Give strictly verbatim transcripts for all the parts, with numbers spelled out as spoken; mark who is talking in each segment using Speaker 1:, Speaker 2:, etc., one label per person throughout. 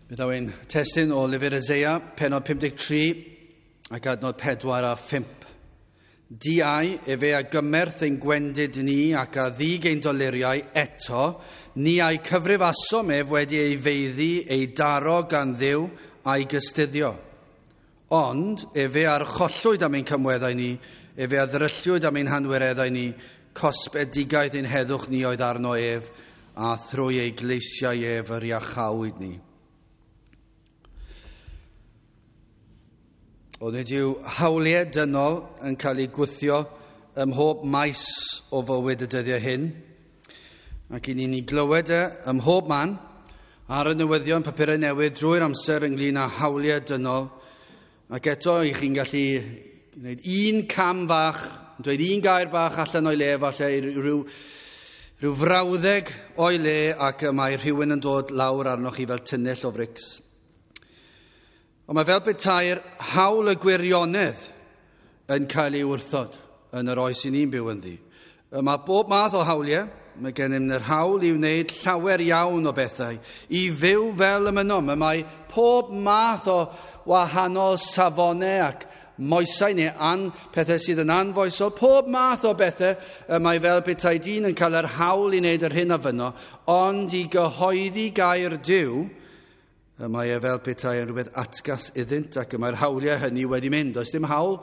Speaker 1: Mi ddaw ein testun o lyfr Eseia, pennod pum deg tri ac adnod pedwar a phump. Diau, efe a gymerth ein gwendid ni ac a ddig ein doluriau eto, ni a'i cyfrifasom ef wedi ei feiddi, ei daro gan Dduw a'i gystuddio. Ond efe archollwyd am ein cymweddau ni, efe a ddrylliwyd am ein hanwireddau ni, cosbedigaeth ein heddwch ni oedd arno ef, a thrwy ei gleisiau ef yr iachawyd ni. Ond nid yw hawliau dynol yn cael eu gwthio ym mhob maes o fywyd y dyddiau hyn, ac i ni'n ei glywed e ym mhob man ar y newyddion papurau newydd drwy'r amser ynglyn â hawliau dynol, ac eto i chi'n gallu gwneud un cam fach, dweud un gair bach allan o'i le, falle rhyw, rhyw frawddeg o'i le, ac y mae rhywun yn dod lawr arnoch chi fel tynnell o frics. Ond mae fel petai'r hawl y gwirionedd yn cael ei wrthod yn yr oes i ni'n byw ynddi. Mae bob math o hawliau, mae gennym yr hawl i wneud llawer iawn o bethau, i fyw fel y mynom. Mae pob math o wahanol safonau ac moesau neu an, pethau sydd yn anfoesol, pob math o bethau, mae fel petai dyn yn cael yr hawl i wneud yr hyn a fyno, ond i gyhoeddi gair Duw, y mae e fel petai yn rhywbeth atgas iddynt, ac y mae'r hawliau hynny wedi mynd. Does dim hawl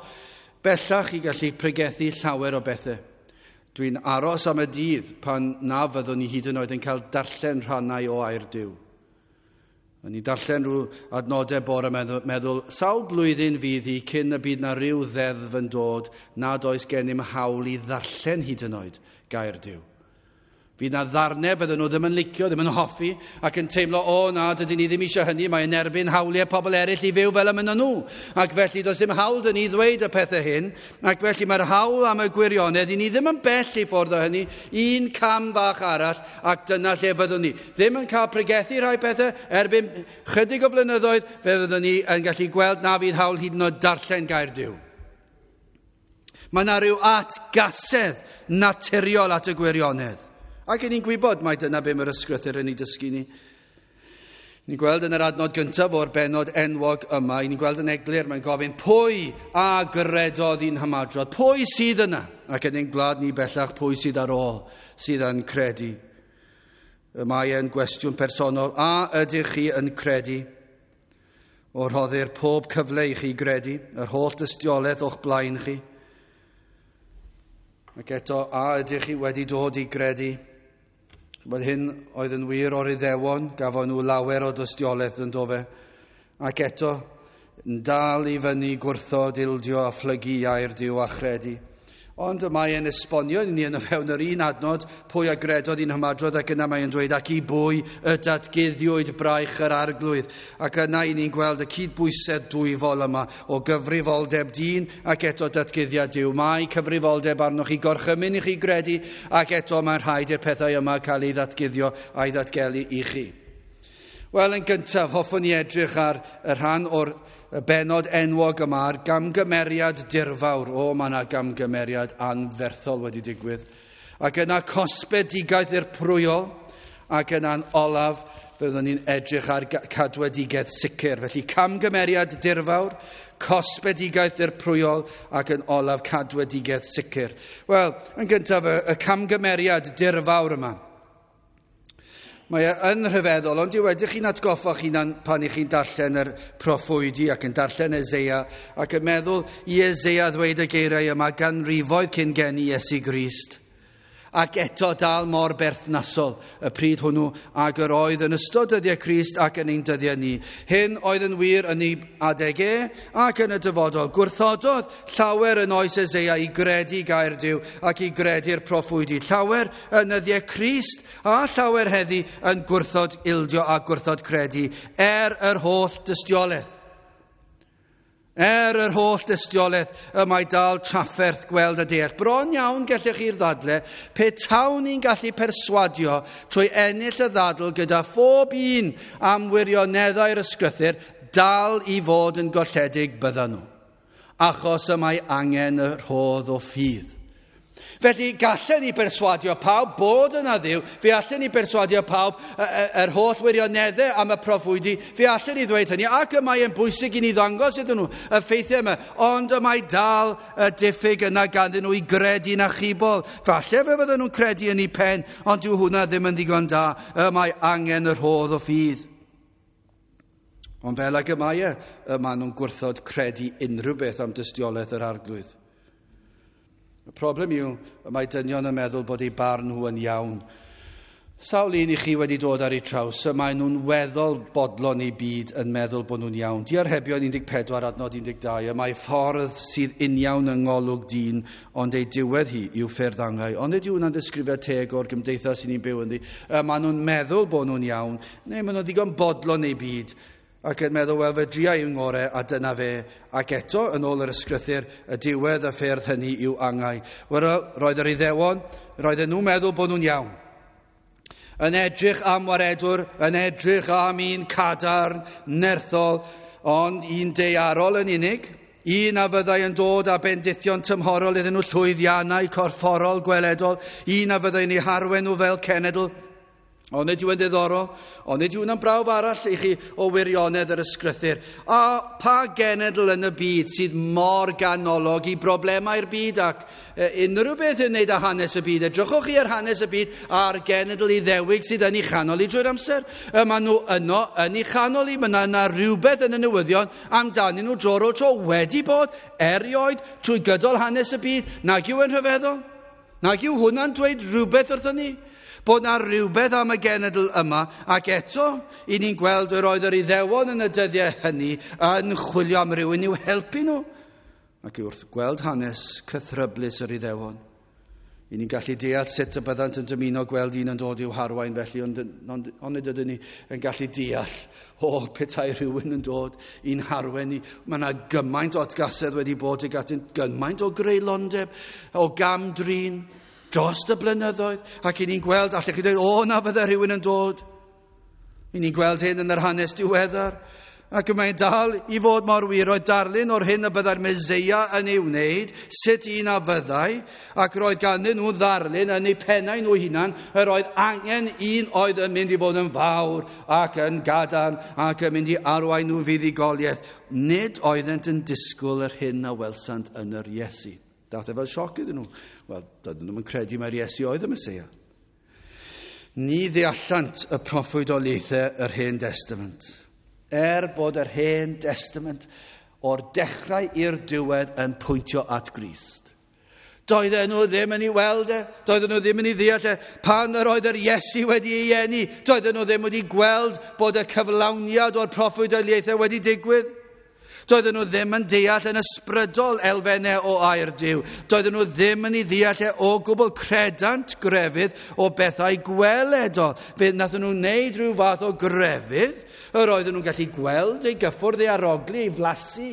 Speaker 1: bellach i gallu pregethu llawer o bethau. Dwi'n aros am y dydd pan na fyddwn ni hyd yn oed yn cael darllen rhannau o air Duw. O'n i'n darllen rhyw adnodau bore meddwl, meddwl, sawl blwyddyn fydd hi cyn y byd na rhyw ddeddf yn dod nad oes gennym hawl i ddarllen hyd yn oed gair Duw. Fydd na ddarnau bydden nhw ddim yn licio, ddim yn hoffi, ac yn teimlo, o na, dydyn ni ddim eisiau hynny, mae'n erbyn hawliau pobl eraill i fyw fel y mynnon nhw. Ac felly does dim hawl dyn ni ddweud y pethau hyn, ac felly mae'r hawl am y gwirionedd, i ni ddim yn bell i ffwrdd o hynny, un cam bach arall, ac dyna lle fyddwn ni. Ddim yn cael pregethu rhai pethau, erbyn chydig o flynyddoedd, fe fyddwn ni yn gallu gweld na fydd hawl hyd yn oed darllen gair Duw. Mae yna rhyw atgasedd naturiol at y gwirionedd. Ac ni'n gwybod mai dyna be mae'r ysgrythur yn ei dysgu ni. Ni'n gweld yn yr adnod gyntaf o'r bennod enwog yma, ni'n gweld yn eglur, mae'n gofyn pwy a gredodd i'n hymadrodd, pwy sydd yna? Ac yn ein gwlad ni bellach, pwy sydd ar ôl sydd yn credu? Y mae e'n gwestiwn personol, a ydych chi yn credu? O rhoddir pob cyfle i chi gredu, yr holl dystiolaeth o'ch blaen chi. Ac eto, a ydych chi wedi dod i gredu? Bod hyn oedd yn wir o'r Iddewon, gafon nhw lawer o dystiolaeth yn dofe. Ac eto, yn dal i fyny gwrthod, ildio a phlygu air Duw a chredu. Ond y mae e'n esbonio i ni yn y fewn yr un adnod, pwy a gredodd i'n hymadrodd, ac yna mae'n dweud, ac i bwy y datguddiwyd braich yr arglwydd. Ac yna i ni'n gweld y cydbwysedd dwyfol yma o gyfrifoldeb dyn ac eto datguddiad Duw. Mae cyfrifoldeb arnoch chi, gorchymyn i chi gredu, ac eto mae'n rhaid i'r pethau yma cael ei ddatguddio a'i ddatgelu i chi. Wel, yn gyntaf, hoffwn i edrych ar y rhan o'r bennod enwog yma, ar gamgymeriad dirfawr. O, mae yna gamgymeriad anferthol wedi digwydd. Ac yna cosbedigaeth ddirprwyol, ac yna'n olaf, fyddwn ni'n edrych ar cadwedigaeth sicr. Felly camgymeriad dirfawr, cosbedigaeth ddirprwyol, ac yn olaf cadwedigaeth sicr. Wel, yn gyntaf, y, y camgymeriad dirfawr yma. Mae e yn rhyfeddol, ond yw ydych chi'n atgoffa chi'n pan i chi'n darllen yr proffwydi ac yn darllen Eseia ac yn meddwl i Eseia ddweud y geiriau yma ganrifoedd cyn geni Iesu Grist. Ac eto dal mor berthnasol y pryd hwnnw ag yr oedd yn ystod dyddiau Crist ac yn ein dyddiau ni. Hyn oedd yn wir yn ei adeg e ac yn y dyfodol. Gwrthododd llawer yn oes Eseia i gredu gair Duw ac i gredu'r proffwydi. Llawer yn nyddiau Crist a llawer heddi yn gwrthod ildio a gwrthod credu er yr holl dystiolaeth. Er yr holl dystiolaeth y mae dal trafferth gweld a deall. Bron iawn gallech chi'r ddadle, pe tawn ni'n gallu perswadio trwy ennill y ddadl gyda phob un am wirioneddau'r ysgrythur, dal i fod yn golledig byddan nhw. Achos y mae angen y rhodd o ffydd. Felly gallen ni berswadio pawb bod yna Dduw, fe allen ni berswadio pawb yr holl wirioneddau am y proffwydi, fe allen ni ddweud hynny, ac y mae yn bwysig i ni ddangos iddyn nhw y ffeithiau yma, ond y mae dal y diffyg yna ganddyn nhw i gredu'n achubol. Falle fe fydden nhw'n credu yn eu pen, ond dyw hwnna ddim yn ddigon da, y mae angen y rhodd o ffydd. Ond fel ag y mae e, y maen nhw'n gwrthod credu unrhyw beth am dystiolaeth yr Arglwydd. Y problem yw, mae dynion yn meddwl bod eu barn nhw yn iawn. Sawl un i chi wedi dod ar eu traws, y maen nhw'n weddol bodlon i byd yn meddwl bod nhw'n iawn. Diarhebion un deg pedwar adnod un deg dau, y mae ffordd sydd uniawn yng ngolwg dyn, ond ei diwedd hi yw ffyrdd angau. Ond ydy hwnna'n disgrifiad teg o'r gymdeithas sy'n ni'n byw ynddi? Y maen nhw'n meddwl bod nhw'n iawn, neu maen nhw'n ddigon bodlon eu byd, ac yn meddwl, wel, fe dria i'w ngorau, a dyna fe. Ac eto, yn ôl yr ysgrythur, y diwedd y ffyrdd hynny yw angau. Wel, roedd yr Iddewon, roedden nhw'n meddwl bod nhw'n iawn. Yn edrych am waredwr, yn edrych am un cadarn, nerthol, ond un daearol yn unig, un a fyddai yn dod â bendithion tymhorol iddyn nhw, llwyddiannau corfforol, gweledol, un a fyddai'n eu harwain nhw fel cenedl. Ond nid yw'n ddiddorol, ond nid yw'n brawf arall i chi o wirionedd yr ysgrythur. A pa genedl yn y byd sydd mor ganolog i broblemau'r byd ac unrhyw beth yn wneud â hanes y byd? Edrychwch chi ar hanes y byd a'r genedl Iddewig sydd yn ei chanol i drwy'r amser. Y maen nhw yno yn ei chanol i. Mae yna, yna rhywbeth yn y newyddion amdanyn nhw dro ar tro wedi bod erioed trwy gydol hanes y byd. Nag yw yn rhyfeddol? Nag yw hwnna'n dweud rhywbeth wrthon ni? Bod na rhywbeth am y genedl yma, ac eto, i ni'n gweld yr oedd yr Iddewon yn y dyddiau hynny yn chwilio am rywun i'w helpu nhw. Ac wrth gweld hanes cythryblus yr Iddewon, i ni'n gallu deall sut y byddant yn dymuno gweld un yn dod i'w harwain felly, ond, ond, ond nid ydyn ni yn gallu deall, o, petai rhywun yn dod i'n harwain ni. Mae yna gymaint o atgasedd wedi bod ag atynt, gymaint o greulondeb, o gamdrin, dros y blynyddoedd, ac i ni'n gweld, allech chi dweud, o, na fydde rhywun yn dod. I ni'n gweld hyn yn yr hanes diweddar, ac mae'n dal i fod mor wir, roedd darlun o'r hyn y byddai'r Meseia yn ei wneud, sut un a fyddai, ac roedd ganddyn nhw ddarlun yn eu pennau nhw hunan, yr oedd angen un oedd yn mynd i fod yn fawr ac yn gadarn ac yn mynd i arwain nhw fuddugoliaeth. Nid oeddent yn disgwyl yr hyn a welsant yn yr Iesu. Dath e fel sioc iddyn nhw. Wel, dydyn nhw'n credu mai'r Iesu oedd y Meseia. Ni ddeallant y proffwydoliaethau yr Hen Testament. Er bod yr Hen Testament o'r dechrau i'r diwedd yn pwyntio at Grist. Doedden nhw ddim yn ei weld e, doedden nhw ddim yn ei ddeall e. Pan yr oedd yr Iesu wedi ei eni, doedden nhw ddim wedi gweld bod y cyflawniad o'r proffwydoliaethau wedi digwydd. Doedden nhw ddim yn deall yn ysbrydol elfennau o air Duw. Doedden nhw ddim yn ei ddeall e o gwbl. Credant grefydd o bethau gweledol. Fe wnaethon nhw wneud rhyw fath o grefydd yr oedden nhw'n gallu gweld, ei gyffwrdd, ei arogli, ei flasu.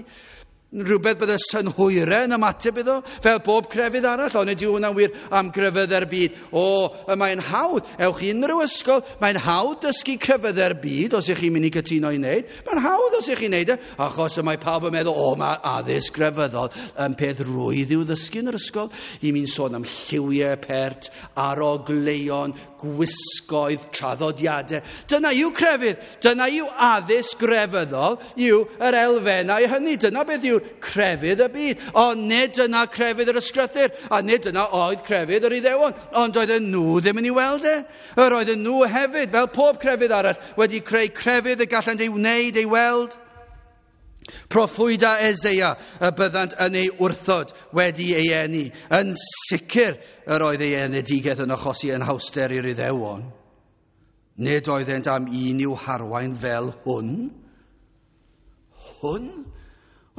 Speaker 1: Rhywbeth bydde synhwyrau yn ymateb iddo, fel bob crefydd arall, ond ydy hwnna'n wir am grefyddau'r byd. O, y mae'n hawdd, ewch i unrhyw ysgol, mae'n hawdd dysgu crefyddau'r byd os ych chi'n mynd i gytuno i wneud. Mae'n hawdd os ych chi'n wneud e, achos y mae pawb yn meddwl, o, mae addysg grefyddol yn peth rwydd i'w ddysgu yn yr ysgol. I mi'n sôn am lliwiau pert, arogleuon, gwisgoedd, traddodiadau. Dyna yw crefydd, dyna yw addysg grefyddol, yw yr elfennau hynny. Dyna beth yw crefydd y byd, ond nid yna crefydd yr ysgrythur, a nid yna oedd crefydd yr Iddewon, ond oedden nhw ddim yn ei weld e. Yr oedden nhw hefyd, fel pob crefydd arall, wedi creu crefydd y gallant ei wneud, ei weld. Proffwyda Eseia y byddant yn ei wrthod wedi ei eni. Yn sicr yr oedd ei enedigaeth yn achosi anhawster i'r Iddewon. Nid oeddent am un i'w harwain fel hwn. Hwn?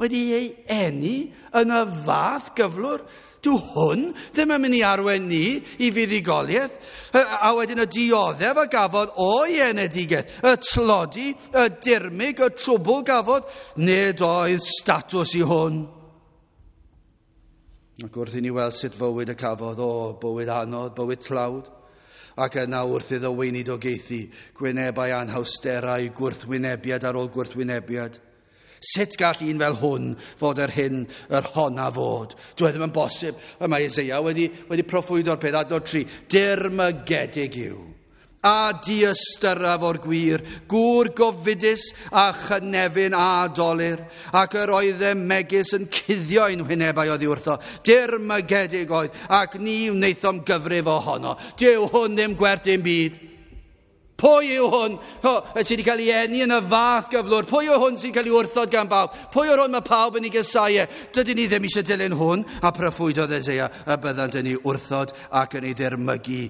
Speaker 1: Wedi ei eni yn y fath gyflwr? Dyw hwn ddim yn mynd i arwain ni i fuddugoliaeth. A wedyn y dioddef a gafodd o'i enedigaeth, y tlodi, y dirmyg, y trwbl gafodd, nid oedd statws i hwn. Ac wrth i ni weld sut fywyd y cafodd, o, bywyd anodd, bywyd tlawd, ac yna wrth iddo weinidogaethu, gwynebau anhawsterau, gwrthwynebiad ar ôl gwrthwynebiad. Sut gall un fel hwn fod yr hyn yr honna fod? Dyw e ddim yn bosib. Y mae Eseia wedi, wedi proffwydo'r peth, adnod tri. Dirmygedig yw. A diystyraf o'r gwir, gŵr gofidus a chynefin a dolur, ac yr oeddem megis yn cuddio ein hwynebau oddi wrtho. Dirmygedig oedd, ac ni wnaethom gyfrif ohono. Dyw hwn ddim gwerth dim byd. Pwy yw hwn o, sydd wedi cael ei eni yn y fath gyflwr? Pwy yw hwn sy'n cael ei wrthod gan bawb? Pwy yw'r hwn mae pawb yn ei gysau e? Dydyn ni ddim eisiau dilyn hwn, a proffwydodd Eseia y byddant yn ei wrthod ac yn ei ddirmygu.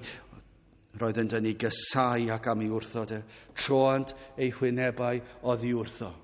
Speaker 1: Roeddent yn ei gysau ac am ei wrthod e. Troant ei hwynebau oddi wrtho.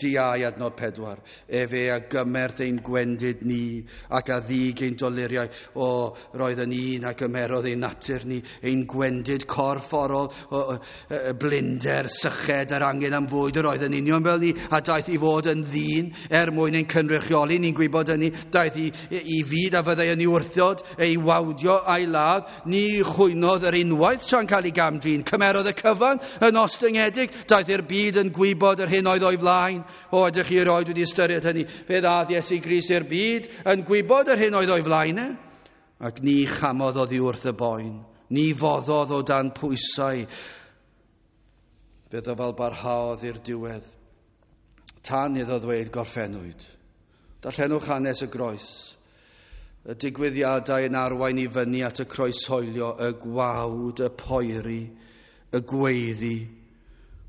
Speaker 1: Diau adnod pedwar. Efe a gymerth ein gwendid ni ac a ddig ein doluriau. O, roedd yn un a gymerodd ein natur ni, ein gwendid corfforol, o, o, blinder, syched, yr angen am fwyd. Yr oedd yn union fel ni a daeth i fod yn ddyn er mwyn ein cynrychioli. Ni'n gwybod hynny. Daeth i, i fyd a fyddai yn ei wrthod, ei wawdio a'i ladd. Ni chwynodd yr unwaith tra'n cael ei gamdrin. Cymerodd y cyfan yn ostyngedig. Daeth i'r byd yn gwybod yr hyn oedd o'i flaen. O, ydych chi erioed wedi ystyried hynny? Fe ddaeth Iesu Grist i'r byd yn gwybod yr hyn oedd o'i flaen e. Ac ni chamodd oddi wrth y boen. Ni foddodd o dan pwysau. Fe ddyfal barhaodd i'r diwedd. Tan iddo ddweud gorffennwyd. Darllenwch hanes y groes. Y digwyddiadau yn arwain i fyny at y croeshoelio, y gwawd, y poeri, y gweiddi.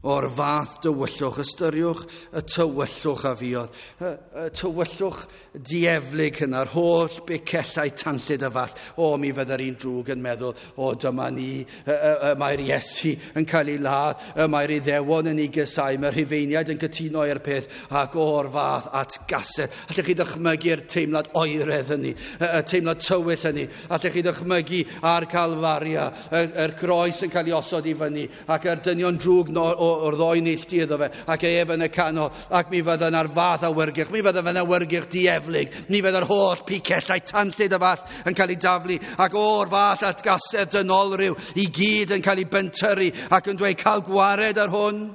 Speaker 1: O'r fath dywyllwch, ystyriwch y tywyllwch a fuodd, y, y tywyllwch dieflig yna'r holl bicellau tanllyd y fall. O, mi fydda'r un drwg yn meddwl, o, dyma ni, y, y, y, mae'r Iesu yn cael ei ladd, y mae'r Iddewon yn ei gysau, mae'r Rhufeiniaid yn cytuno i'r peth, ac o'r fath atgasedd. Allech chi dychmygu'r teimlad oeredd hynny, y, y teimlad tywyll hynny. Allech chi dychmygu ar Calfaria, y, yr groes yn cael ei osod i fyny, ac yr dynion drwg no, o, o'r ddoi neilltu iddo fe, ac ef yn y canol, ac mi fydda yna'r fath awyrgylch, mi fydda fe'n awyrgylch dieflig, mi fydda'r holl picellau tanllyd y fall yn cael ei daflu, ac o'r fath atgasedd dynolryw i gyd yn cael ei bentyrru ac yn dweud cael gwared ar hwn.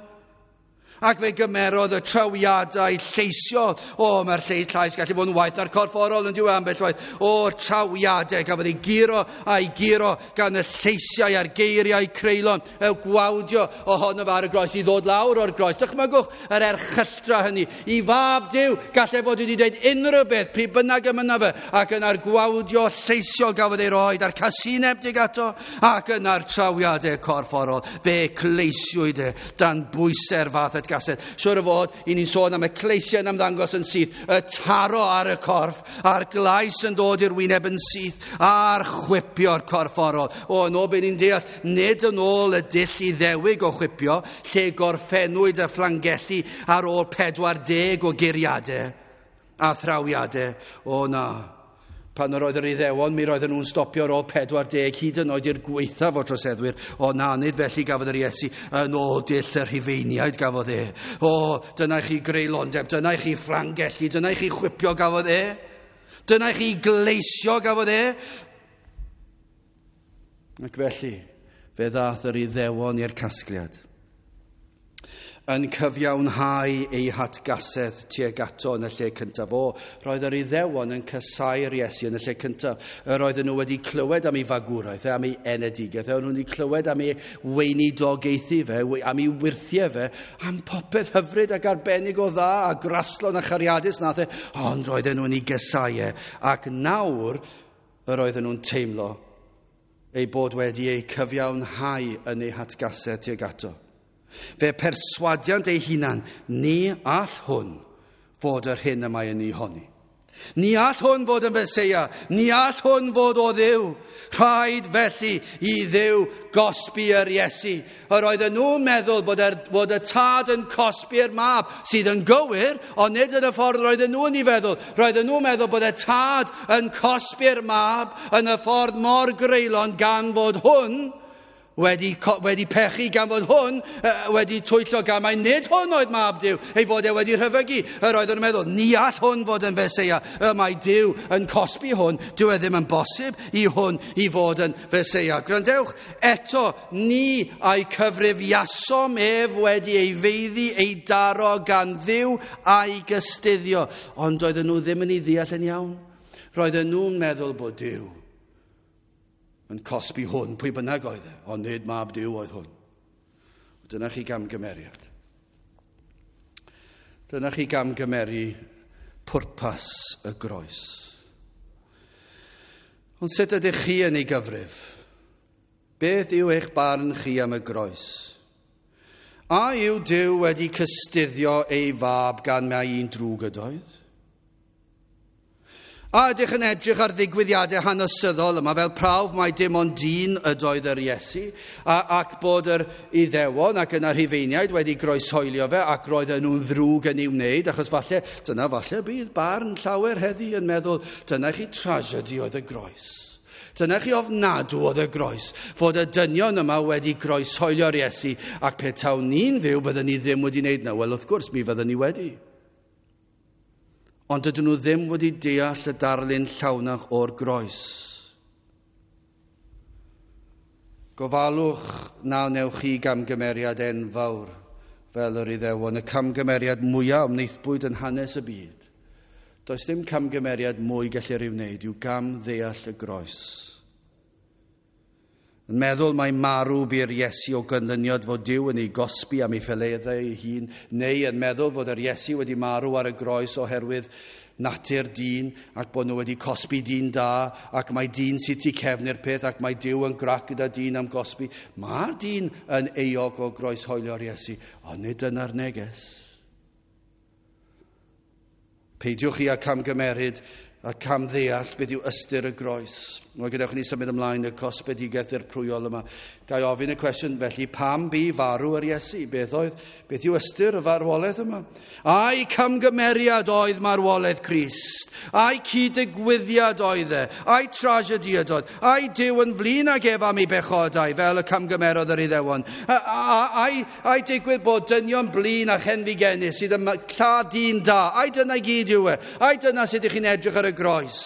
Speaker 1: Ac fe gymerodd y trawiadau lleisiol. O, mae'r lleis llais gallu fod yn waeth na'r corfforol yn diwy ambell waith. O'r trawiadau gafodd ei guro a'i guro gan y lleisiau a'r geiriau creulon, y gwawdio ohono fe ar y groes i ddod lawr o'r groes. Dychmygwch yr erchylltra hynny. I fab Duw gallai fod wedi dweud unrhyw beth, pryd bynnag y mynna fe. Ac yna'r gwawdio lleisiol gafodd ei roed, a'r casineb tuag ato, ac yna'r trawiadau corfforol. Fe cleisiwyd e dan bwysau'r fath atgasedd. Siwr o fod, i ni'n sôn am y cleisiau yn ymddangos yn syth, y taro ar y corff, a'r glais yn dod i'r wyneb yn syth, a'r chwipio'r corfforol. O, yn ôl be ni'n deall, nid yn ôl y dull Iddewig o chwipio, lle gorffennwyd y fflangellu ar ôl pedwar deg o guriadau a thrawiadau. O na, pan yr oedd yr Iddewon, mi roedden nhw'n stopio ar ôl pedwar deg, hyd yn oed i'r gwaethaf o troseddwyr. O na, nid felly gafodd yr Iesu, yn ôl dull y Rhufeiniaid gafodd e. O, dyna i chi greulondeb, dyna i chi fflangellu, dyna i chi chwipio gafodd e. Dyna i chi gleisio gafodd e. Ac felly, fe ddaeth yr Iddewon i'r casgliad, yn cyfiawnhau ei hatgasedd tuag ato yn y lle cyntaf. O, roedd yr Iddewon yn cysau'r Iesu yn y lle cyntaf. Yr oedden nhw wedi clywed am ei fagwraeth, am ei enedigaeth, oedden nhw wedi clywed am ei weinidogaethu fe, am ei wyrthiau fe, am popeth hyfryd ac arbennig o dda, a graslon a chariadus nath e, ond roedden nhw'n ei gysau e. Ac nawr, yr oedden nhw'n teimlo ei bod wedi eu cyfiawnhau yn ei hatgasedd tuag ato. Fe perswadiant ei hunan, ni all hwn fod yr hyn y mae yn ei honni. Ni all hwn fod yn Feseia, ni all hwn fod o Dduw. Rhaid felly i Dduw gosbi yr Iesu. Yr oedden nhw'n meddwl bod, er, bod y tad yn cosbi'r mab, sydd yn gywir, ond nid yn y ffordd roedden nhw'n ei feddwl. Roedden nhw'n meddwl bod y tad yn cosbi'r mab yn y ffordd mor greulon gan fod hwn wedi, wedi pechu gan fod hwn wedi twyllo gan mai nid hwn oedd mab Duw, ei fod e wedi rhyfygu. Yr oedd yn meddwl, ni all hwn fod yn Feseia, y mae Duw yn cosbi hwn, dyw e ddim yn bosib i hwn i fod yn Feseia. Gwrandewch, eto ni a'i cyfrifiasom ef wedi ei feiddi, ei daro gan Dduw a'i gystuddio. Ond oedden nhw ddim yn ei ddeall yn iawn. Roedden nhw'n meddwl bod Duw yn cosbi hwn, pwy bynnag oedd e, ond nid mab Duw oedd hwn. Dyna chi gamgymeriad. Dyna chi gamgymeru pwrpas y groes. Ond sut ydych chi yn ei gyfrif? Beth yw eich barn chi am y groes? A yw Duw wedi cystuddio ei fab gan mai un drwg ydoedd? A ydych yn edrych ar ddigwyddiadau hanesyddol yma fel prawf mai dim ond dyn ydoedd yr Iesu, a, ac bod yr Iddewon ac yna'r Rhufeiniaid wedi groeshoelio fe ac roedden nhw'n ddrwg yn ei wneud, achos falle, dyna falle bydd barn llawer heddi yn meddwl, dyna chi tragedy oedd y groes. Dyna chi ofnadw oedd y groes, fod y dynion yma wedi groeshoelio'r Iesu, ac pe tawn ni'n fyw bydden ni ddim wedi wneud na. Wel, wrth gwrs, mi fydden ni wedi. Ond dydyn nhw ddim wedi deall y darlun llawnach o'r groes. Gofalwch na wnewch chi gamgymeriad enfawr fel yr Iddewon, y camgymeriad mwyaf wnaethpwyd yn hanes y byd. Does dim camgymeriad mwy gellir ei wneud yw gam ddeall y groes. Yn meddwl mai marw bu'r Iesu o ganlyniad fod Duw yn ei gosbi am ei ffaeleddau ei hun, neu yn meddwl fod yr Iesu wedi marw ar y groes oherwydd natur dyn ac bod nhw wedi cosbi dyn da, ac mae dyn sydd tu cefn i'r peth, ac mae Duw yn grac gyda dyn am gosbi. Mae'r dyn yn euog o groeshoelio'r Iesu, ond nid dyna'r neges. Peidiwch chi â camgymeryd a camddeall beth yw ystyr y groes. Wel, gadewch ni symud ymlaen y cosbedigaeth ddirprwyol yma. Ga i ofyn y cwestiwn felly, pam bu farw yr Iesu? Beth oedd, beth yw ystyr y farwolaeth yma? Ai camgymeriad oedd marwolaeth Crist? Ai cyd-ddigwyddiad oedd e? Ai tragedy oedd? Ai Duw yn flin ag ef am ei bechodau fel y camgymerodd yr Iddewon? Ai, ai digwydd bod dynion blin a chenfigennus sydd yn lladd dyn da? Ai dyna i gyd yw e? Ai dyna sut ych chi'n edrych ar y groes?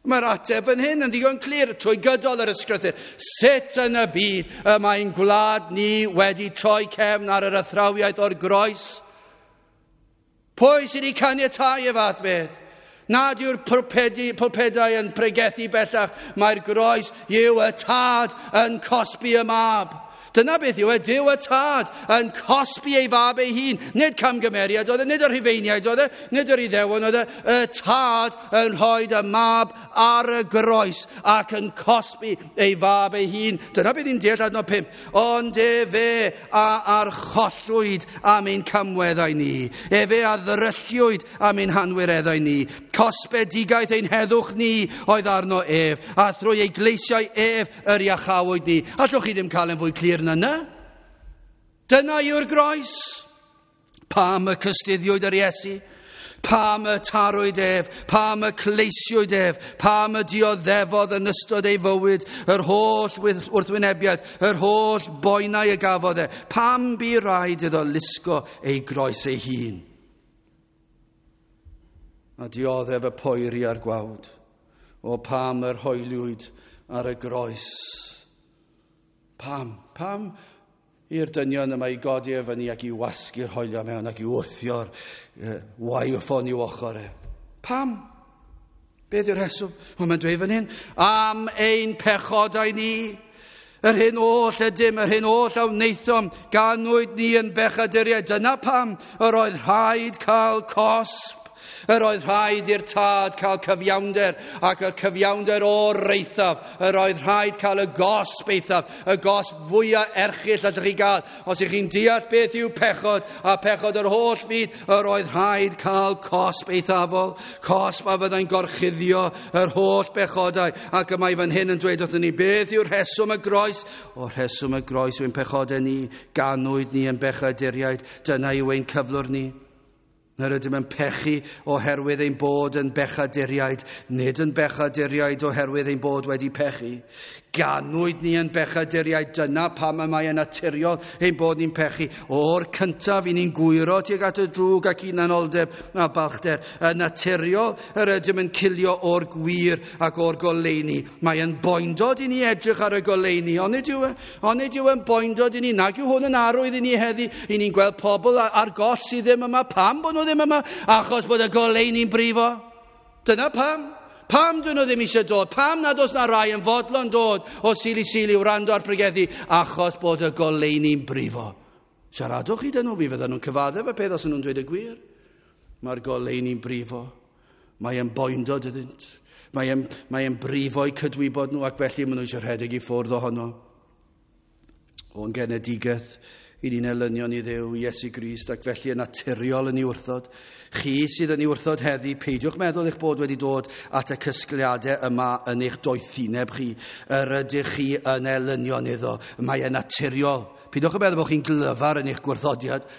Speaker 1: Mae'r ateb yn hyn yn ddigon clir trwy gydol yr ysgrythur. Sut yn y byd y mae'n gwlad ni wedi troi cefn ar yr athrawiaeth o'r groes? Pwy sydd wedi caniatáu y fath beth? Nad yw'r pulpedau yn pregethu bellach. Mae'r groes yw y tad yn cosbi y mab. Dyna beth yw e, Duw y tad yn cosbi ei fab ei hun. Nid camgymeriad oedd e, nid yr Rhufeiniaid oedd e, nid yr Iddewon oedd e. Y tad yn rhoi y mab ar y groes ac yn cosbi ei fab ei hun. Dyna beth ni'n deall adnod pump. Ond efe a archollwyd am ein camweddau ni. Efe a ddrylliwyd am ein hanwireddau ni. Cosbedigaeth ein heddwch ni oedd arno ef, a thrwy ei gleisiau ef yr iachawyd ni. Allwch chi ddim cael yn fwy clir na yna? Dyna yw'r groes. Pam y cystuddiwyd yr Iesu? Pam y tarwyd ef? Pam y cleisiwyd ef? Pam y dioddefodd yn ystod ei fywyd yr holl wrthwynebiad, yr holl boenau y gafodd e? Pam bu raid iddo lusgo ei groes ei hun? A dioddef y poeri a'r gwawd. O pam yr hoeliwyd ar y groes. Pam? Pam i'r dynion yma i godi e fyny ac i wasgu'r hoelio mewn ac i wthio'r uh, waywffon i'w ochr e? Pam? Beth yw'r rheswm? Wel, mae'n dweud fan hyn, am ein pechodau ni. Yr hyn oll ydym, yr hyn oll a wnaethom, ganwyd ni yn bechaduriaid. Dyna pam yr oedd rhaid cael cosb. Yr oedd rhaid i'r tad cael cyfiawnder, ac y cyfiawnder o'r eithaf. Yr oedd rhaid cael y gosb eithaf, y gosb fwyaf erchyll allwch chi gael. Os ych chi'n deall beth yw pechod, a pechod yr holl fyd, yr oedd rhaid cael cosb eithafol, cosb a fyddai'n gorchuddio yr holl bechodau. Ac y mae fan hyn yn dweud wrthyn ni, beth yw'r rheswm y groes? O, rheswm y groes yw'n pechodau ni, ganwyd ni yn bechaduriaid, dyna yw ein cyflwr ni. Yr ydym yn pechu oherwydd ein bod yn bechaduriaid, nid yn bechaduriaid oherwydd ein bod wedi pechu. Ganwyd ni yn bechaduriaid, dyna pam y mae yn naturiol ein bod ni'n pechu. O'r cyntaf i ni'n gwyro tuag at y drwg ac hunanoldeb a balchder. Yn naturiol yr ydym yn cilio o'r gwir ac o'r goleuni. Mae yn boendod i ni edrych ar y goleuni, onid yw e? Onid yw e'n boendod i ni? Nag yw hwn yn arwydd i ni heddi? I ni'n gweld pobl ar goll sydd ddim yma. Pam bod nhw ddim yma? Achos bod y goleuni'n brifo. Dyna pam. Pam dyn nhw ddim eisiau dod? Pam nad oes na rai yn fodlon dod o Sul i Sul i wrando ar pregethu? Achos bod y goleuni'n brifo. Siaradwch chi dyn nhw, fi fyddan nhw'n cyfaddef y peth os nhw'n dweud y gwir. Mae'r goleuni'n brifo. Mae e'n boendod iddynt. Mae e'n, mae e'n brifo eu cydwybod nhw ac felly maen nhw eisiau rhedeg i ffwrdd ohono. O'n genedigaeth i ni'n elynion i Dduw, Iesu Grist, ac felly yn naturiol yn ei wrthod. Chi sydd yn ei wrthod heddi, peidiwch meddwl eich bod wedi dod at y cysgliadau yma yn eich doethineb chi. Yr ydych chi yn elynion iddo. Mae e'n naturiol. Peidiwch yn meddwl bod chi'n glyfar yn eich gwrthodiad.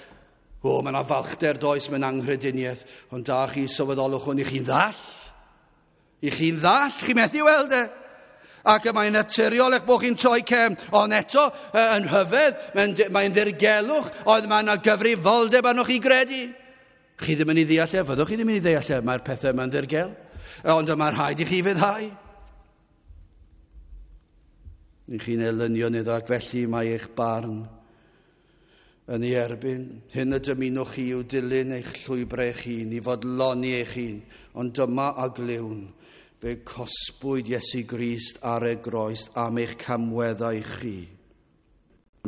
Speaker 1: O, mae yna falchder does, mae'n anghrediniaeth. Ond da chi sylweddolwch hwn, i chi'n ddall. I chi'n ddall, chi methu weld e. Ac y mae'n naturiol eich bod chi'n troi cefn. Ond eto, yn rhyfedd, mae'n, mae'n ddirgelwch, ond mae yna gyfrifoldeb arnoch chi gredu. Chi ddim yn ei ddeall e, fyddwch chi ddim yn ei ddeall e, mae'r pethau yma'n ddirgel. Ond y mae rhaid i chi fyddhau. I chi'n elynion iddo ac felly mae eich barn yn ei erbyn. Hyn y dymunwch chi yw dilyn eich llwybrau eich hun, i fodloni eich hun, ond dyma a glywn. Fe cosbwyd Iesu Grist ar y groes am eich camweddau chi,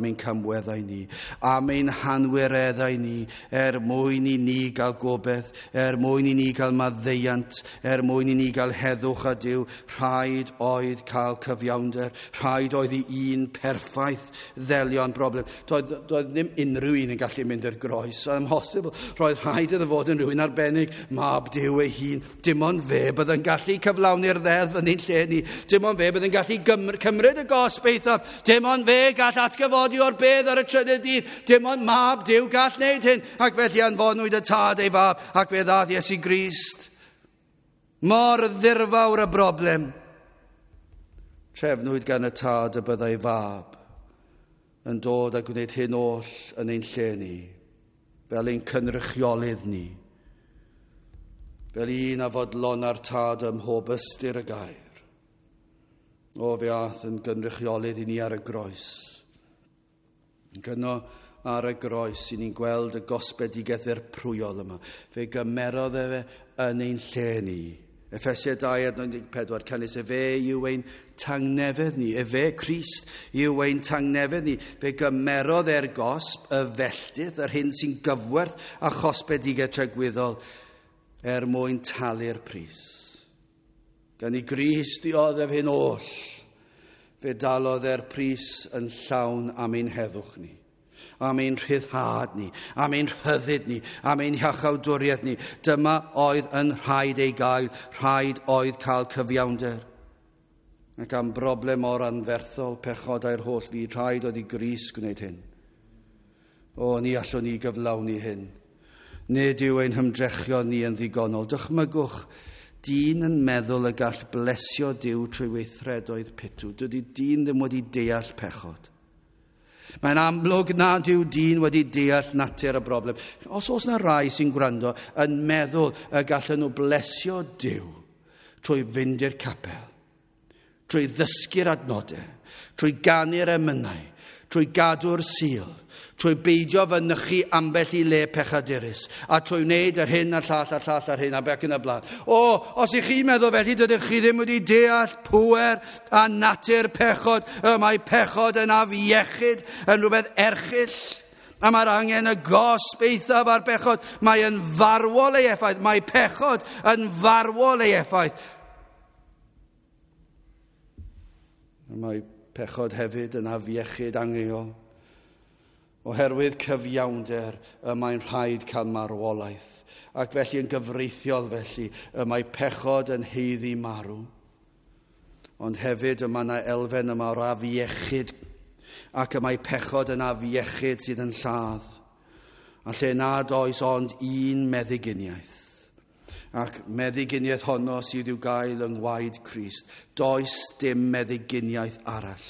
Speaker 1: am ein camweddau ni, am ein hanwireddau ni, er mwyn i ni gael gobeith, er mwyn i ni gael maddeuant, er mwyn i ni gael heddwch a Duw. Rhaid oedd cael cyfiawnder, rhaid oedd i un perffaith ddelio'n broblem. Doedd, doedd ddim unrhyw un yn gallu mynd i'r groes, amhosibl. Roedd rhaid iddo fod yn rhywun arbennig, mab Duw ei hun. Dim ond fe bydd yn gallu cyflawni'r ddeddf yn ein lle ni. Dim ond fe bydd yn gallu gymryd y gosb eithaf. Dim ond fe gall atgyfodi o'r bedd ar y trydydd dydd. Dim ond mab Duw gall wneud hyn. Ac felly anfonwyd y tad ei fab, ac fe ddaeth Iesu Grist. Mor ddirfawr y broblem. Trefnwyd gan y tad y byddai fab yn dod a gwneud hyn oll yn ein lle ni, fel ein cynrychiolydd ni, fel un a fodlon ar tad ym mhob ystyr y gair. O, fe ath yn gynrychiolydd i ni ar y groes. Gyno ar y groes, i ni'n gweld y gosbedigaeth ddirprwyol yma. Fe gymerodd e fe yn ein lle ni. Effesiau dau adnod un deg pedwar, canys efe yw ein tangnefedd ni. Efe, Crist, yw ein tangnefedd ni. Fe gymerodd e'r gosb, y felltith, yr hyn sy'n gyfwerth a chosbedigaeth tragwyddol, er mwyn talu'r pris. Gan i Grist ddioddef hyn oll, fe dalodd e'r pris yn llawn am ein heddwch ni, am ein rhyddhad ni, am ein rhyddid ni, am ein hiachawdwriaeth ni. Dyma oedd yn rhaid ei gael, rhaid oedd cael cyfiawnder. Ac am broblem o'r anferthol pechodau'r holl fyd, rhaid oedd i Grist gwneud hyn. O, ni allwn ni gyflawni hyn. Nid yw ein hymdrechion ni yn ddigonol. Dychmygwch, dyn yn meddwl y gall blesio Duw trwy weithredoedd pitw. Dydy dyn ddim wedi deall pechod. Mae'n amlwg nad yw dyn wedi deall natur y broblem. Os oes na rai sy'n gwrando yn meddwl y gallan nhw blesio Duw trwy fynd i'r capel, trwy ddysgu'r adnodau, trwy ganu'r emynau, trwy gadw'r Sul, trwy beidio fynychu ambell i le pechadurus, a trwy wneud yr hyn a'r llall a'r llall a'r hyn a bec yn y blaen. O, os ych chi'n meddwl felly, dydych chi ddim wedi deall pŵer a natur pechod. Y mae pechod yn afiechyd, yn rhywbeth erchyll, a mae'r angen y gosb eithaf ar bechod. Mae yn farwol ei effaith. Mae pechod yn farwol ei effaith. Mae pechod hefyd yn afiechyd angheuol. Oherwydd cyfiawnder y mae'n rhaid cael marwolaeth. Ac felly yn gyfreithiol felly, y mae pechod yn haeddu marw. Ond hefyd y mae yna elfen yma o'r afiechyd, ac y mae pechod yn afiechyd sydd yn lladd. A lle nad oes ond un meddyginiaeth. Ac meddyginiaeth honno sydd i'w gael yng ngwaed Crist. Does dim meddyginiaeth arall.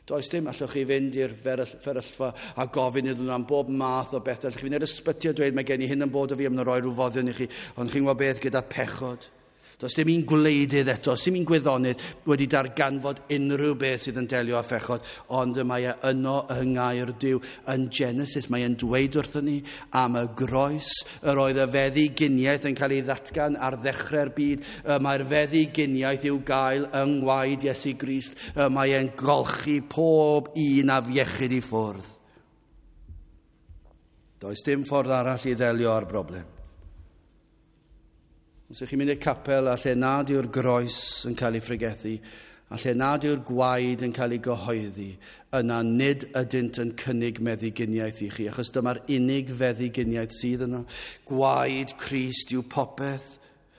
Speaker 1: Does dim, allwch chi fynd i'r fferyllfa a gofyn iddyn nhw am bob math o bethau. Allwch chi fynd i'r ysbyty a dweud, "Mae gen i hyn yn bod o fi, am roi rhyw foddion i chi." Ond chi'n gwybod beth gyda pechod? Does dim un gwleidydd eto, dim un gwyddonydd wedi darganfod unrhyw beth sydd yn delio â phechod, ond y mae e yno yng ngair Duw. Yn Genesis, mae e'n dweud wrthyn ni am y groes, yr oedd y feddyginiaeth yn cael ei ddatgan ar ddechrau'r byd. Mae'r feddyginiaeth i'w gael yng ngwaed Iesu Grist. Mae e'n golchi pob un afiechyd i ffwrdd. Does dim ffordd arall i ddelio â'r broblem. Os ydych chi'n mynd i'r capel a lle nad yw'r groes yn cael ei phregethu, a lle nad yw'r gwaed yn cael ei gyhoeddi, yna nid ydynt yn cynnig meddyginiaeth i chi, achos dyma'r unig feddyginiaeth sydd yna. Gwaed Crist yw popeth.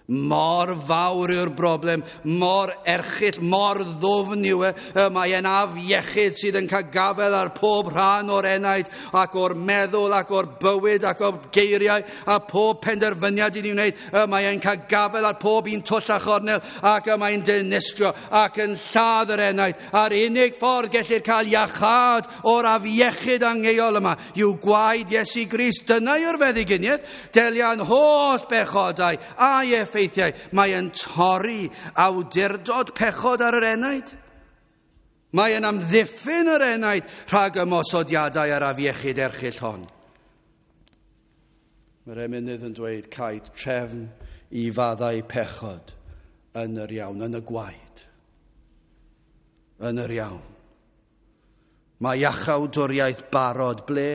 Speaker 1: Mor fawr yw'r broblem, mor erchyll, mor ddwfn yw e. Mae e'n afiechyd sydd yn cael gafel ar pob rhan o'r enaid ac o'r meddwl ac o'r bywyd ac o'r geiriau a pob penderfyniad i ni wneud. Mae e'n cael gafel ar pob un twll a chornel ac mae'n dinistrio ac yn lladd yr enaid. A'r unig ffordd gellir cael iachâd o'r afiechyd angheuol yma yw gwaed Iesu Grist. Dyna yw'r feddyginiaeth. Delia'n holl bechodau a'i effeithiau. Mae yn torri awdurdod pechod ar yr enaid. Mae yn amddiffyn yr enaid rhag ymosodiadau ar afiechyd erchyll hon. Mae'r emynydd yn dweud caed trefn i faddau pechod yn yr iawn, yn y gwaed. Yn yr iawn. Mae iachawdwriaeth barod ble?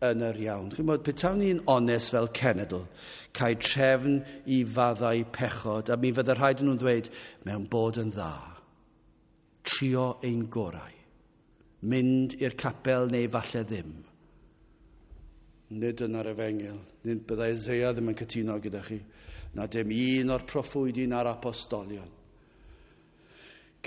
Speaker 1: Yn yr iawn. Chi'n bod, petawn ni'n onest fel cenedl, cael trefn i faddau pechod, a mi fydde rhaid nhw'n dweud, mewn bod yn dda, trio ein gorau, mynd i'r capel neu falle ddim. Nid yna'r efengyl, nid byddai Eseia ddim yn cytuno gyda chi, na dim un o'r proffwydi na'r apostolion.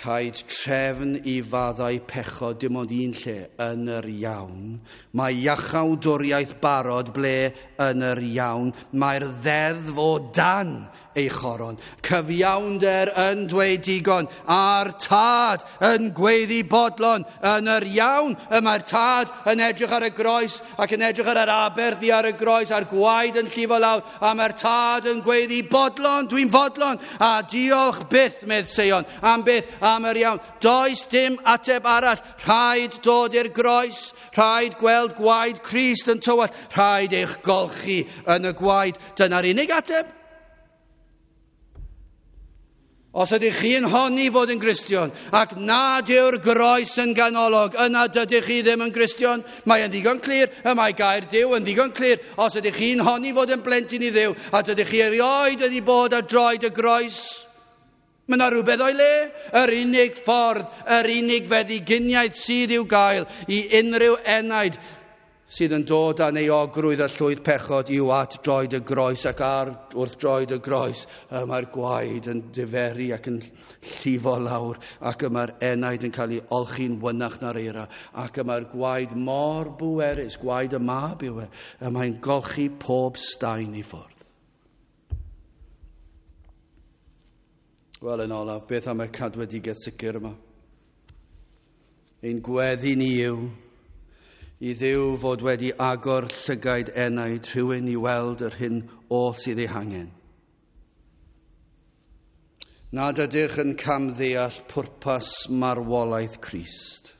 Speaker 1: Caed trefn i faddau pechod dim ond un lle, yn yr iawn. Mae iachawdwriaeth barod ble yn yr iawn. Mae'r ddeddf o dan ei choron. Cyfiawnder yn dweud digon, a'r tad yn gweiddi bodlon yn yr iawn. Y mae'r tad yn edrych ar y groes ac yn edrych ar yr aberth i ar y groes a'r gwaed yn llifo lawr, a mae'r tad yn gweiddi bodlon, dwi'n fodlon, a diolch byth, medd Seion, am beth? Am yr iawn. Does dim ateb arall. Rhaid dod i'r groes, rhaid gweld gwaed Crist yn tywallt, rhaid eich golchi yn y gwaed. Dyna'r unig ateb. Os ydych chi'n honni fod yn Gristion ac nad yw'r groes yn ganolog, yna dydych chi ddim yn Gristion. Mae yn ddigon clir, y mae gair Duw yn ddigon clir. Os ydych chi'n honni fod yn blentyn i Dduw a dydych chi erioed wedi bod ar droed y groes, mae yna rhywbeth o'i le. Yr unig ffordd, yr unig feddyginiaeth sydd i'w gael i unrhyw enaid sydd yn dod â euogrwydd a llwyth pechod yw at droed y groes, ac ar wrth droed y groes y mae'r gwaed yn diferu ac yn llifo lawr, ac y mae'r enaid yn cael ei olchi'n wynach na'r eira, ac y mae'r gwaed mor bwerus, gwaed y mab yw e, y mae'n golchi pob staen i ffwrdd. Wel, yn olaf, beth am y cadwedigaeth sicr yma? Ein gweddi ni yw i Dduw fod wedi agor llygaid enaid rhywun i weld yr hyn oll sydd ei hangen. Nad ydych yn camddeall pwrpas marwolaeth Crist.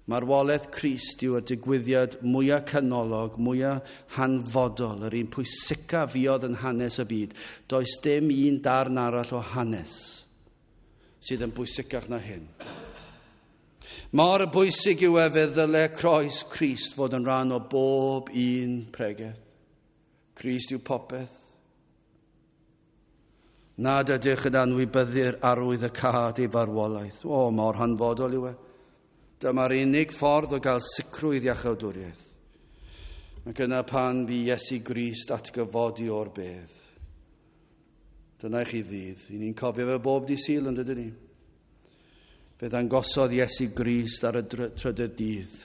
Speaker 1: Marwolaeth Crist yw'r digwyddiad mwyaf canolog, mwyaf hanfodol, yr un pwysica fuodd yn hanes y byd. Does dim un darn arall o hanes sydd yn bwysicach na hyn. Mor bwysig yw e fe ddyle croes Crist fod yn rhan o bob un pregeth. Crist yw popeth. Nad ydych yn anwybyddu'r arwydd y cad ei farwolaeth. O, mor hanfodol yw e. Dyma'r unig ffordd o gael sicrwydd iachawdwriaeth. Ac yna pan bu Iesu Grist atgyfodi o'r bedd. Dyna i chi ddydd. I ni'n cofio fe bob dydd Sul, yn dydyn ni? Fe ddangosodd Iesu Grist ar y trydydd dydd.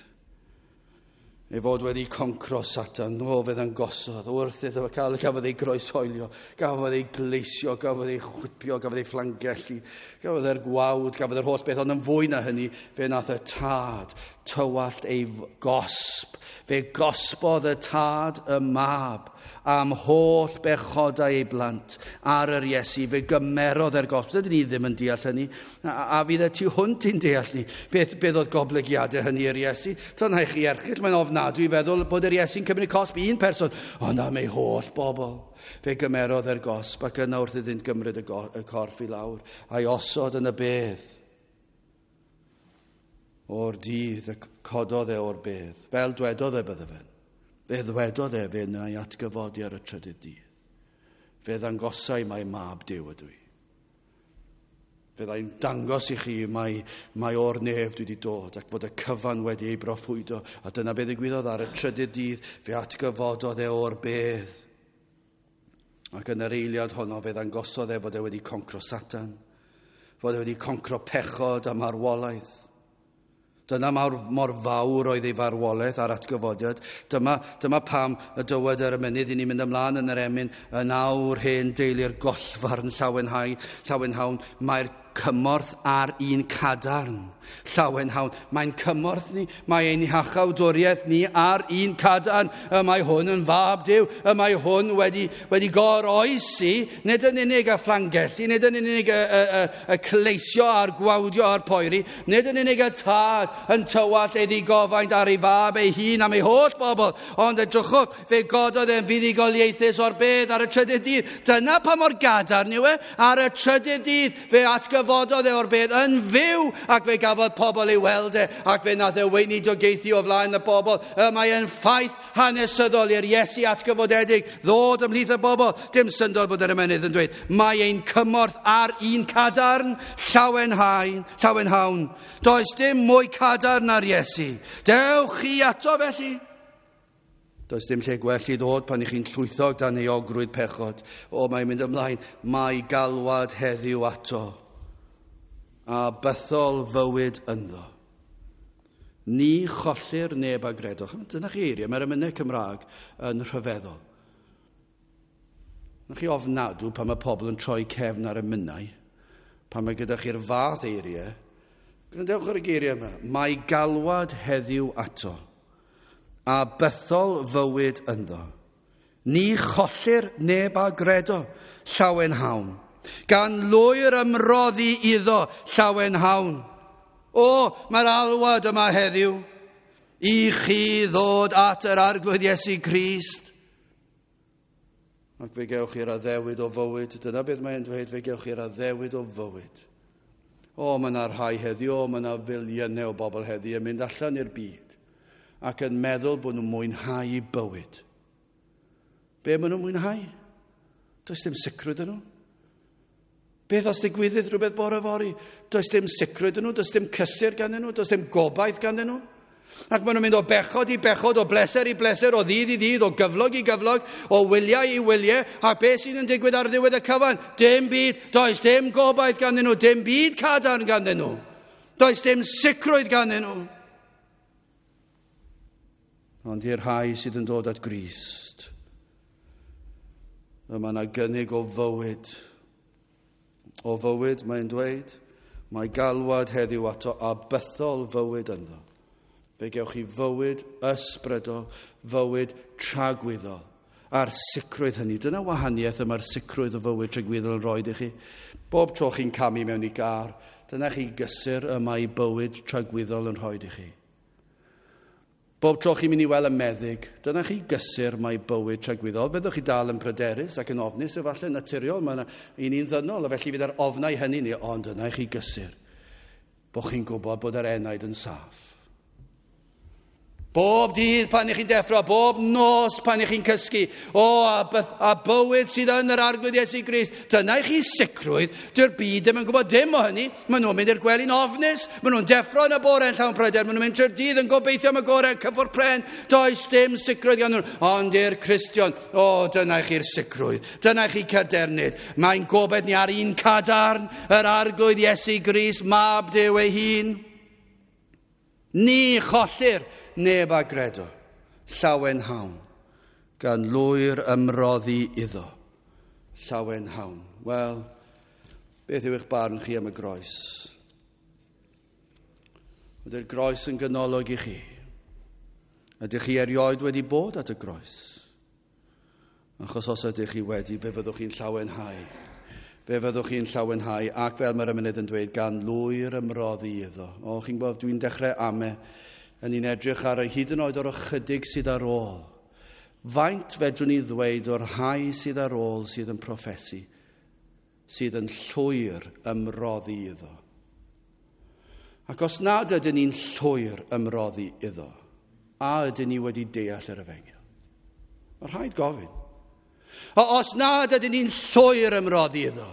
Speaker 1: Ei fod wedi concro Satan, o, fe ddangosodd, wrth iddo cael, gafodd ei groeshoelio, gafodd ei gleisio, gafodd ei chwipio, gafodd ei fflangellu, gafodd e'r gwawd, gafodd yr holl beth, ond yn fwy na hynny, fe nath y tad tywallt ei gosb. Fe gosbodd y tad y mab am holl bechodau ei blant ar yr Iesu. Fe gymerodd e'r gosb. Dydyn ni ddim yn deall hynny, a, a fydd e tu hwnt i'n deall ni beth, beth oedd goblygiadau hynny i'r Iesu. Dyna i chi erchyll, mae'n ofnadwy i feddwl bod yr Iesu'n cymryd cosb un person, ond am ei holl bobl. Fe gymerodd e'r gosb ac yna wrth iddynt gymryd y, go, y corff i lawr a'i osod yn y bedd. O'r dydd y cododd e o'r bedd, fel dwedodd e bydde fe. Fe ddwedodd e fe wna i atgyfodi ar y trydydd dydd. Fe ddangosai mai mab Duw ydw i. Fe ddai'n dangos i chi mai, mai o'r nef dwi wedi dod ac fod y cyfan wedi ei broffwydo. A dyna beth ddigwyddodd ar y trydydd dydd, fe atgyfododd e o'r bedd. Ac yn yr eiliad honno fe ddangosodd e fod e wedi concro Satan, fod e wedi concro pechod a marwolaeth. Dyna mor, mor fawr oedd ei farwolaeth a'r atgyfodiad. Dyma, dyma pam y dywed yr emynydd i ni mynd ymlaen yn yr emyn, yn awr hen deulu'r gollfarn llawenhau, llawenhawn, mae'r cymorth ar un cadarn. Llawenhawn, mae'n cymorth ni, mae ein hachawdwriaeth ni ar un cadarn. Y mae hwn yn fab Duw, y mae hwn wedi, wedi goroesi, nid yn unig y fflangellu, nid yn unig y, y, y, y cleisio a'r gwawdio a'r poeri, nid yn unig y tad yn tywallt ei ddigofaint ar ei fab ei hun am ei holl bobl, ond edrychwch, fe gododd e'n fuddugoliaethus o'r bedd ar y trydydd dydd. Dyna pa mor gadarn yw e, ar y trydydd dydd, fe atgyfododd e o'r bedd yn fyw, ac fe gafodd pobl ei weld e, ac fe nath e weinidogaethu o flaen y bobl. Y mae e'n ffaith hanesyddol i'r Iesu atgyfodedig ddod ymhlith y bobl. Dim syndod bod yr emynydd yn dweud, mae ein cymorth ar un cadarn, llawenhau, llawenhawn. Does dim mwy cadarn na'r Iesu. Dewch chi ato felly. Does dim lle gwell i ddod pan i chi'n llwythog dan euogrwydd pechod. O, mae'n mynd ymlaen. Mae galwad heddiw ato a bythol fywyd ynddo. Ni chollir neb a gredwch. Dyna chi eiriau, mae'r emynau Cymraeg yn rhyfeddol. Na chi ofnadw pan mae pobl yn troi cefn ar emynau, pan mae gyda chi'r fath eiriau. Gwrandewch ar y geiriau yma. Mae galwad heddiw ato, a bythol fywyd ynddo. Ni chollir neb a gredo, llawenhawn. Gan lwyr ymroddi iddo, llawenhawn. O, mae'r alwad yma heddiw, i chi ddod at yr Arglwydd Iesu Grist. Ac fe gewch chi'r addewid o fywyd. Dyna beth mae'n dweud, fe gewch chi'r addewid o fywyd. O, mae yna rhai heddiw, o, mae yna filiynau o bobl heddiw yn mynd allan i'r byd ac yn meddwl bod nhw'n mwynhau bywyd. Be maen nhw'n mwynhau? Does dim sicrwydd yn nhw. Beth os digwyddydd rhywbeth bore fory? Does dim sicrwydd yn nhw, does dim cysur ganddyn nhw, does dim gobaith ganddyn nhw. Ac maen nhw'n mynd o bechod i bechod, o bleser i bleser, o ddydd i ddydd, o gyflog i gyflog, o wyliau i wyliau, a beth sy'n yn digwydd ar ddiwedd y cyfan? Dim byd, does dim gobaith ganddyn nhw, dim byd cadarn ganddyn nhw. Does dim sicrwydd ganddyn nhw. Ond i'r rhai sydd yn dod at Grist, y mae yna gynnig o fywyd. O fywyd, mae'n dweud, mae galwad heddiw ato a bythol fywyd ynddo. Fe gewch chi fywyd ysbrydol, fywyd tragwyddol, a'r sicrwydd hynny. Dyna wahaniaeth y mae'r sicrwydd o fywyd tragwyddol yn rhoi i chi. Bob tro chi'n camu mewn i gar, dyna chi gysur y mae bywyd tragwyddol yn rhoi i chi. Bob tro chi'n mynd i weld y meddyg, dyna chi gysur mae bywyd tragwyddol. Fyddwch chi dal yn pryderus ac yn ofnus, efallai naturiol, mae yna un un ddynol, a felly fydd yr ofnau hynny ni, ond dyna chi gysur, bod chi'n gwybod bod yr enaid yn saff. Bob dydd pan ych chi'n deffro, bob nos pan ych chi'n cysgu, o, a, byth, a bywyd sydd yn yr Arglwydd Iesu Grist, dyna i chi sicrwydd, dyw'r byd ddim yn gwybod dim o hynny. Maen nhw'n mynd i'r gwely'n ofnus, maen nhw'n deffro yn y bore yn llawn pryder, maen nhw'n mynd trwy'r dydd yn gobeithio am y gorau, cyffwrdd pren, does dim sicrwydd gan nhw. Ond i'r Cristion, o, dyna i chi'r sicrwydd, dyna i chi cadernid. Mae'n gobaith ni ar un cadarn, yr Arglwydd Iesu Grist, mab Duw ei hun. Ni chollir neb a gredo. Llawenhawn, gan lwyr ymroddi iddo. Llawenhawn. Wel, beth yw eich barn chi am y groes? Ydy'r groes yn ganolog i chi? Ydych chi erioed wedi bod at y groes? Achos os ydych chi wedi, fe fyddwch chi'n llawenhau. Fe fyddwch chi'n llawenhau, ac fel mae'r emynydd yn dweud, gan lwyr ymroddi iddo. O, chi'n gwybod, dwi'n dechrau ame, yn ni'n edrych ar y hyd yn oed o'r ychydig sydd ar ôl. Faint fedrwn ni ddweud o'r rhai sydd ar ôl sydd yn proffesu, sydd yn llwyr ymroddi iddo. Ac os nad ydyn ni'n llwyr ymroddi iddo, a ydyn ni wedi deall yr efengyl? Mae rhaid gofyn. O, os nad ydyn ni'n llwyr ymroddi iddo,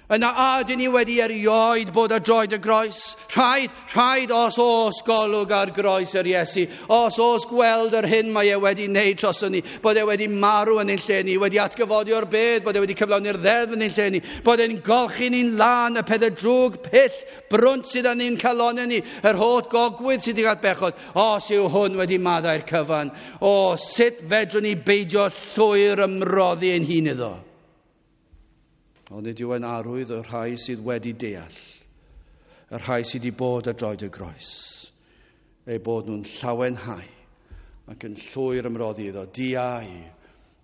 Speaker 1: yna a ydyn ni wedi erioed bod ar droed y groes? Rhaid, rhaid os oes golwg ar groes yr Iesu, os oes gweld yr hyn mae e wedi wneud droson ni, bod e wedi marw yn ein lle ni, wedi atgyfodi o'r bedd, bod e wedi cyflawni'r ddeddf yn ein lle ni, bod e'n golchi ni'n lân, y pethau drwg, pill, brwnt sydd yn ein calonau ni, yr holl gogwydd sydd wedi cael bechod, os yw hwn wedi maddau'r cyfan, o, sut fedrwn ni beidio llwyr ymroddi ein hun iddo? Ond nid yw e'n arwydd o'r rhai sydd wedi deall, y rhai sydd wedi bod ar droed y groes, eu bod nhw'n llawenhau ac yn llwyr ymroddi iddo. Diau,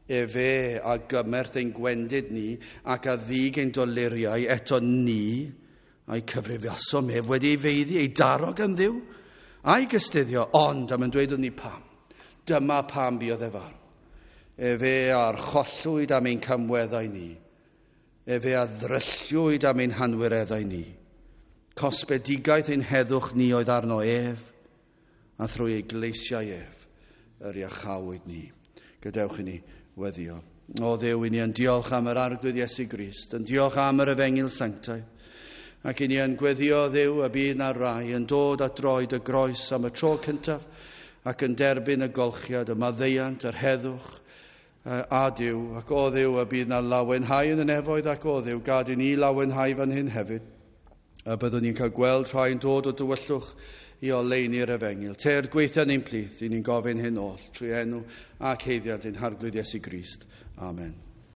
Speaker 1: efe a gymerth ein gwendid ni ac a ddig ein doluriau eto ni, a'i cyfrifiasom ef wedi ei feiddi, ei daro gan Dduw, a'i gystuddio, ond, am yn dweud wrth ni pam, dyma pam buodd e farw. Efe a archollwyd am ein camweddau ni, efe a ddrylliwyd am ein hanwireddau ni. Cosbedigaeth ein heddwch ni oedd arno ef, a thrwy ei gleisiau ef, yr iachawyd ni. Gadewch i ni weddio. O Dduw, i ni yn diolch am yr Arglwydd Iesu Grist, yn diolch am yr Efengyl Sanctaidd, ac i ni yn gweddio Dduw y bydd na rai yn dod at droed y groes am y tro cyntaf, ac yn derbyn y golchiad, y maddeuant, yr heddwch, a Duw, ac o Dduw y bydd na lawenhau yn y nefoedd, ac o Dduw, gad i ni lawenhau fan hyn hefyd, a byddwn ni'n cael gweld rhai yn dod o dywyllwch i oleuni'r efengyl. Tyrd gweithio ni'n plith, i ni'n gofyn hyn oll, trwy enw ac haeddiant ein Harglwydd Iesu Grist. Amen.